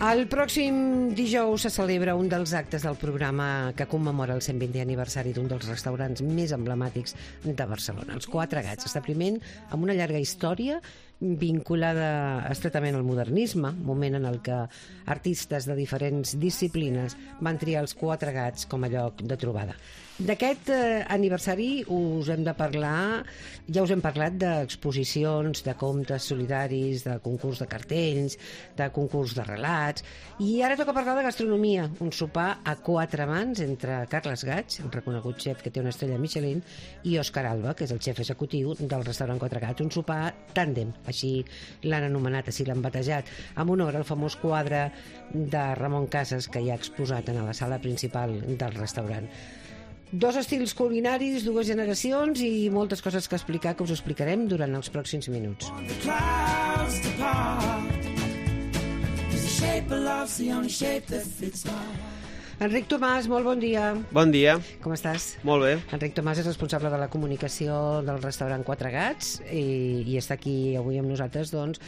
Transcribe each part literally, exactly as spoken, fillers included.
El pròxim dijous se celebra un dels actes del programa que commemora el cent vintè aniversari d'un dels restaurants més emblemàtics de Barcelona, els Quatre Gats, establiment amb una llarga història vinculada estretament al modernisme, moment en el que artistes de diferents disciplines van triar els Quatre Gats com a lloc de trobada. D'aquest eh, aniversari us hem de parlar, ja us hem parlat d'exposicions, de comptes solidaris, de concurs de cartells, de concurs de relats, i ara toca parlar de gastronomia, un sopar a quatre mans entre Carles Gats, el reconegut xef que té una estrella Michelin, i Òscar Alba, que és el xef executiu del restaurant Quatre Gats, un sopar tàndem, així l'han anomenat, així l'han batejat, en honor al famós quadre de Ramon Casas que hi ha exposat en la sala principal del restaurant. Dos estils culinaris, dues generacions i moltes coses que explicar que us explicarem durant els pròxims minuts. Enric Tomàs, molt bon dia. Bon dia. Com estàs? Molt bé. Enric Tomàs és responsable de la comunicació del restaurant Quatre Gats i, i està aquí avui amb nosaltres doncs,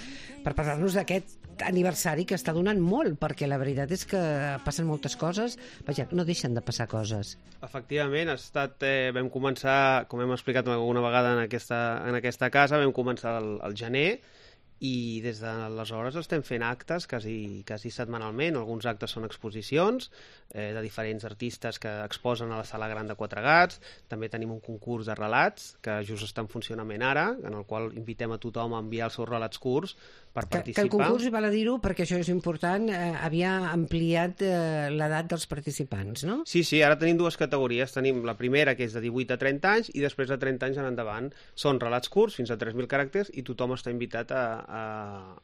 per parlar-nos d'aquest aniversari que està donant molt, perquè la veritat és que passen moltes coses, vaja, no deixen de passar coses. Efectivament, ha estat, eh, vam començar, com hem explicat alguna vegada en aquesta, en aquesta casa, vam començar el, el gener, i des d'aleshores estem fent actes quasi, quasi setmanalment. Alguns actes són exposicions eh, de diferents artistes que exposen a la Sala Gran de Quatre Gats. També tenim un concurs de relats que just està en funcionament ara, en el qual invitem a tothom a enviar els seus relats curts per que, participar. Que el concurs, val a dir-ho, perquè això és important, eh, havia ampliat eh, l'edat dels participants, no? Sí, sí, ara tenim dues categories. Tenim la primera, que és de divuit a trenta anys, i després de trenta anys en endavant. Són relats curts, fins a tres mil caràcters, i tothom està invitat a, a,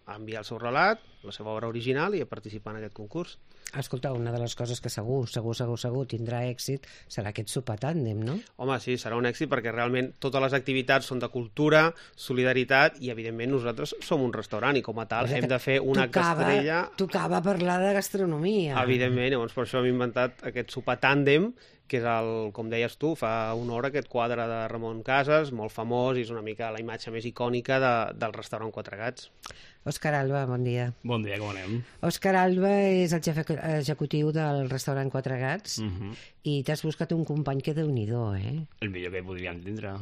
a enviar el seu relat, la seva obra original, i a participar en aquest concurs. Escolta, una de les coses que segur, segur, segur, segur tindrà èxit serà aquest sopar tàndem, no? Home, sí, serà un èxit perquè realment totes les activitats són de cultura, solidaritat, i evidentment nosaltres som un restaurant i com a tal hem de fer un acte estrella. Tocava parlar de gastronomia. Evidentment, llavors per això hem inventat aquest sopar tàndem, que és el, com deies tu, fa honor a aquest quadre de Ramon Casas, molt famós, i és una mica la imatge més icònica de, del restaurant Quatre Gats. Òscar Alba, bon dia. Bon dia, com anem? Òscar Alba és el xef executiu del restaurant Quatre Gats, uh-huh. i t'has buscat un company que déu-n'hi-do, eh? El millor que podríem tindre.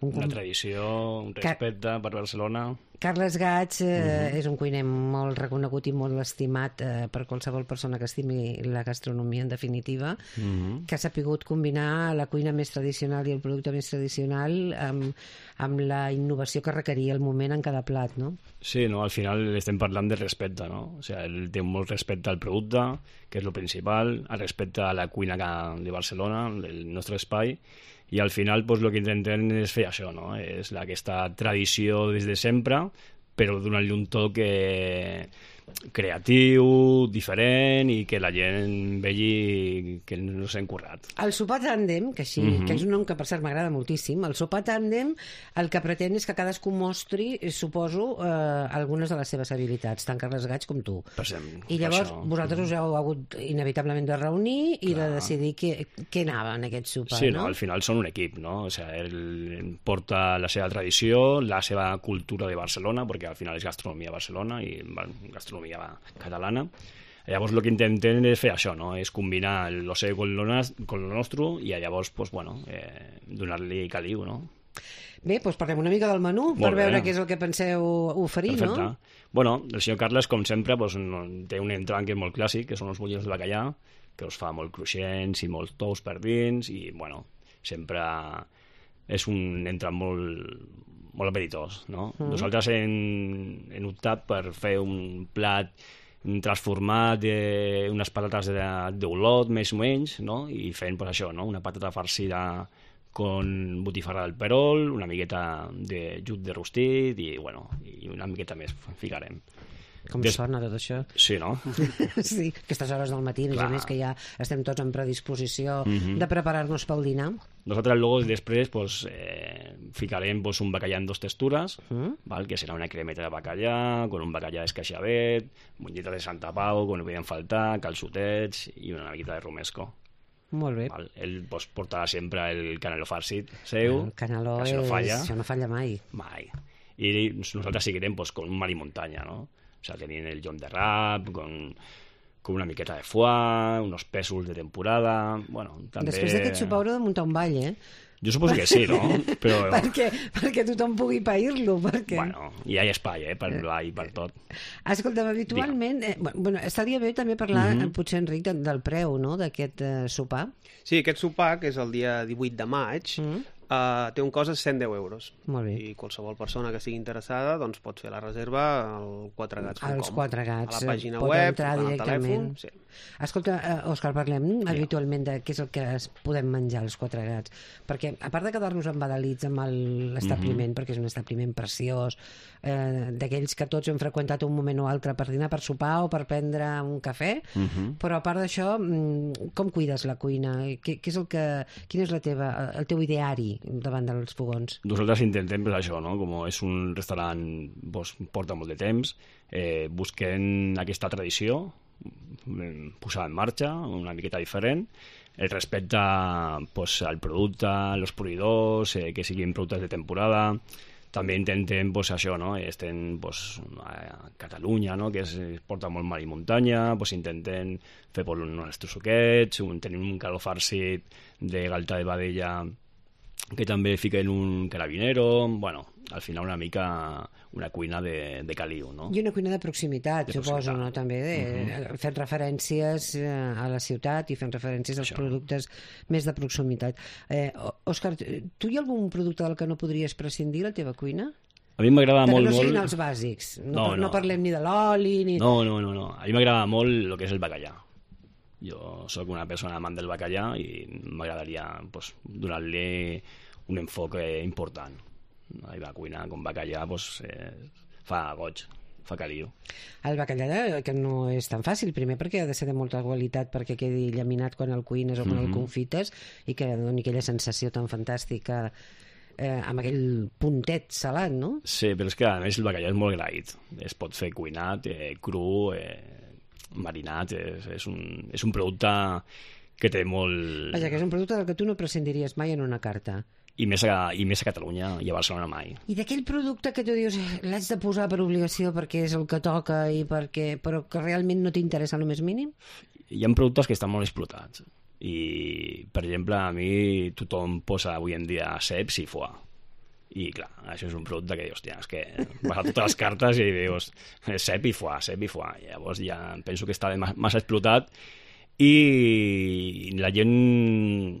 Un Una tradició, un respecte Car... per Barcelona. Carles Gats eh, uh-huh. és un cuiner molt reconegut i molt estimat eh, per qualsevol persona que estimi la gastronomia, en definitiva, uh-huh. que ha sapigut combinar la cuina més tradicional i el producte més tradicional amb, amb la innovació que requeria el moment en cada plat, no? Sí, no? Al final estem parlant de respecte, no? O sigui, ell té molt respecte al producte, que és el principal, el respecte a la cuina de Barcelona, del nostre espai, i al final pues, el que intentem és fer això, no? És aquesta tradició des de sempre, però donant-li un toc eh, creatiu, diferent, i que la gent vegi que no s'ha encurrat. El sopar tàndem, que, així, uh-huh. que és un nom que per cert m'agrada moltíssim, el sopar tàndem el que pretén és que cadascú mostri, suposo, eh, algunes de les seves habilitats, tant Carles Gats com tu. Per exemple, I llavors això. vosaltres us heu hagut inevitablement de reunir i Clar. de decidir què, què anava en aquest sopar, sí, no? no? Al final són un equip, no? O sigui, ell porta la seva tradició, la seva cultura de Barcelona, perquè al final és gastronomia a Barcelona i gastronomia catalana. Llavors el que intentem és fer això, no? És combinar el seu con lo, con lo nostre i llavors pues, bueno, eh, donar-li caliu, no? Bé, doncs parlem una mica del menú Molt per bé. veure què és el que penseu oferir, Perfecte. no? Bueno, el senyor Carles, com sempre, pues, no, té un entrant que és molt clàssic, que són els bullons de bacallà, que els fa molt cruixents i molt tous per dins, i bueno, sempre és un entrant molt molt apetitós, no? Mm. Nosaltres hem, hem optat per fer un plat transformat d'unes patates d'olot, més o menys, no? I fent pues, això, no? Una patata farcida con botifarra del perol, una miqueta de jut de rostit i, bueno, i una miqueta més ficarem. Com Des... sona tot això? Sí, no? Sí, aquestes hores del matí, a més que ja estem tots en predisposició mm-hmm. de preparar-nos pel dinar. Nosaltres luego després pues, eh, ficarem pues, un bacallà en dos textures, mm. val? Que serà una cremeta de bacallà, con un bacallà d'escaixavet, monyeta de Santa Pau, que no podien faltar, calçotets i una miqueta de romesco. Molt bé. Val? Ell pues, portarà sempre el caneló farcit seu, el caneló que no falla. Això no falla mai. Mai. I nosaltres seguirem pues, con un mar i muntanya, no? O sea, tenien el John de Rap, con com una miqueta de foie, uns pèsols de temporada... Bueno, també... Després d'aquest sopar haureu de muntar un ball, eh? Jo suposo que sí, no? Però... perquè, perquè tothom pugui pair-lo, perquè... Bueno, hi ha espai, eh, per ball i per tot. Escolta'm, habitualment... Eh, bueno, estaria bé també parlar, mm -hmm. potser, Enric, de, del preu, no?, d'aquest eh, sopar. Sí, aquest sopar, que és el dia divuit de maig, mm -hmm. Uh, té un cost de cent deu euros. Molt bé. I qualsevol persona que sigui interessada doncs pot fer la reserva al quatre gats punt com. Als quatre gats. A la pàgina pot web, entrar al directament. telèfon. Sí. Escolta, uh, Òscar, parlem sí. habitualment de què és el que es podem menjar als quatre gats. Perquè, a part de quedar-nos embadalits amb l'establiment, mm -hmm. perquè és un establiment preciós, eh, d'aquells que tots hem freqüentat un moment o altre per dinar, per sopar o per prendre un cafè, mm -hmm. però a part d'això, com cuides la cuina? Què, què és el que, quin és la teva, el teu ideari davant dels fogons? Nosaltres intentem pues, això, no? Com és un restaurant pues, porta molt de temps, eh, busquem aquesta tradició, posar en marxa, una miqueta diferent, el respecte pues, al producte, als proveïdors, eh, que siguin productes de temporada. També intentem pues, això, no? Estem pues, a Catalunya, no? Que es, es porta molt mar i muntanya, pues, intentem fer pues, uns nostres suquets, un, tenim un caldo farcit de galta de vedella que també fiquen un carabinero, bueno, al final una mica una cuina de, de caliu, no? I una cuina de proximitat, de suposo, proximitat. no? També, de, uh -huh. fent referències a la ciutat i fent referències als Això. productes més de proximitat. Eh, Òscar, tu hi ha algun producte del que no podries prescindir a la teva cuina? A mi m'agrada molt... Que no siguin molt... els bàsics. No, no, no. no parlem ni de l'oli, ni... No, no, no, no. A mi m'agrada molt el que és el bacallà. Jo sóc una persona amant del bacallà i m'agradaria pues, donar-li un enfoc important. I la cuina com bacallà pues, eh, fa goig, fa caliu. El bacallà, que no és tan fàcil, primer perquè ha de ser de molta qualitat perquè quedi llaminat quan el cuines o quan mm -hmm. el confites i que doni aquella sensació tan fantàstica eh, amb aquell puntet salat, no? Sí, però és que a més el bacallà és molt graït. Es pot fer cuinat, eh, cru, eh, marinat, és, és, un, és un producte que té molt... Vaja, que és un producte del que tu no prescindiries mai en una carta. I més, a, i més a Catalunya i a Barcelona mai. I d'aquell producte que tu dius l'haig de posar per obligació perquè és el que toca i perquè, però que realment no t'interessa el més mínim? Hi ha productes que estan molt explotats i, per exemple, a mi tothom posa avui en dia ceps i foie. I clar, això és un producte que dius, hòstia, és que vas a totes les cartes i dius cep i foie, cep i foie. I llavors ja penso que està massa explotat i la gent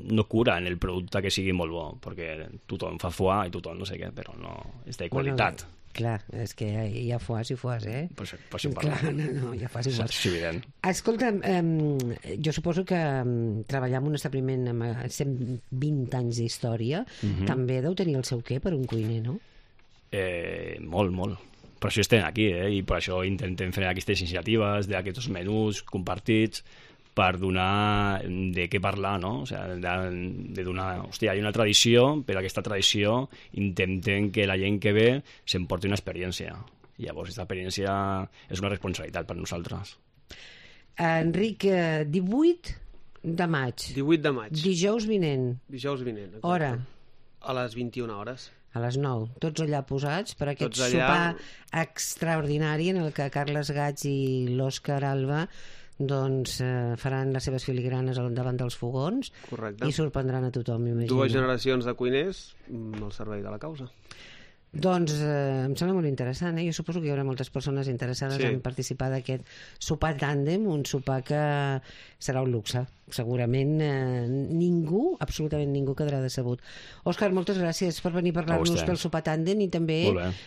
no cura en el producte que sigui molt bo, perquè tothom fa foie i tothom no sé què, però no és de qualitat. Bueno, clar, és que hi ha foies i foies, eh? Per això, per això clar, no, no, hi ha foies i foies. És evident. Escolta, eh, jo suposo que eh, treballar en un establiment amb cent vint anys d'història uh -huh. també deu tenir el seu què per un cuiner, no? Eh, molt, molt. Per això estem aquí, eh? I per això intentem fer aquestes iniciatives d'aquests menús compartits per donar de què parlar, no? O sigui, de, de donar... Hòstia, hi ha una tradició, però aquesta tradició intentem que la gent que ve s'emporti una experiència. I llavors, aquesta experiència és una responsabilitat per nosaltres. Enric, divuit de maig. divuit de maig. Dijous vinent. Dijous vinent, exacte. Hora? A les vint-i-una hores. A les nou. Tots allà posats per aquest allà... sopar extraordinari en el que Carles Gats i l'Òscar Alba doncs eh, faran les seves filigranes davant dels fogons. Correcte. I sorprendran a tothom, m'imagino. Dues generacions de cuiners al servei de la causa. Doncs eh, em sembla molt interessant, eh? Jo suposo que hi haurà moltes persones interessades sí. en participar d'aquest sopar tàndem, un sopar que serà un luxe. Segurament eh, ningú, absolutament ningú quedarà decebut. Òscar, moltes gràcies per venir a parlar-nos del sopar tàndem i també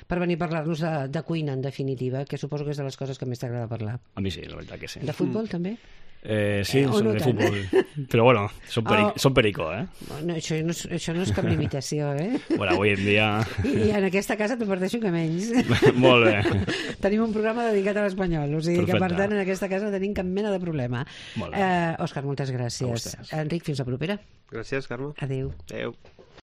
per venir a parlar-nos de, de cuina, en definitiva, que suposo que és de les coses que més t'agrada parlar. A mi sí, la veritat que sí. De futbol, mm. també? Eh, sí, eh, som no de tant. Futbol. Però bueno, som, peric oh. som perico, eh? No, això, no és, això no és cap limitació, eh? Bueno, avui en dia... I en aquesta casa t'ho parteixo que menys. Molt bé. Tenim un programa dedicat a l'espanyol, o sigui Perfecte. que per tant en aquesta casa no tenim cap mena de problema. Molt bé. Eh, Òscar, moltes gràcies. Enric, fins la propera. Gràcies, Carme. Adéu. Adéu.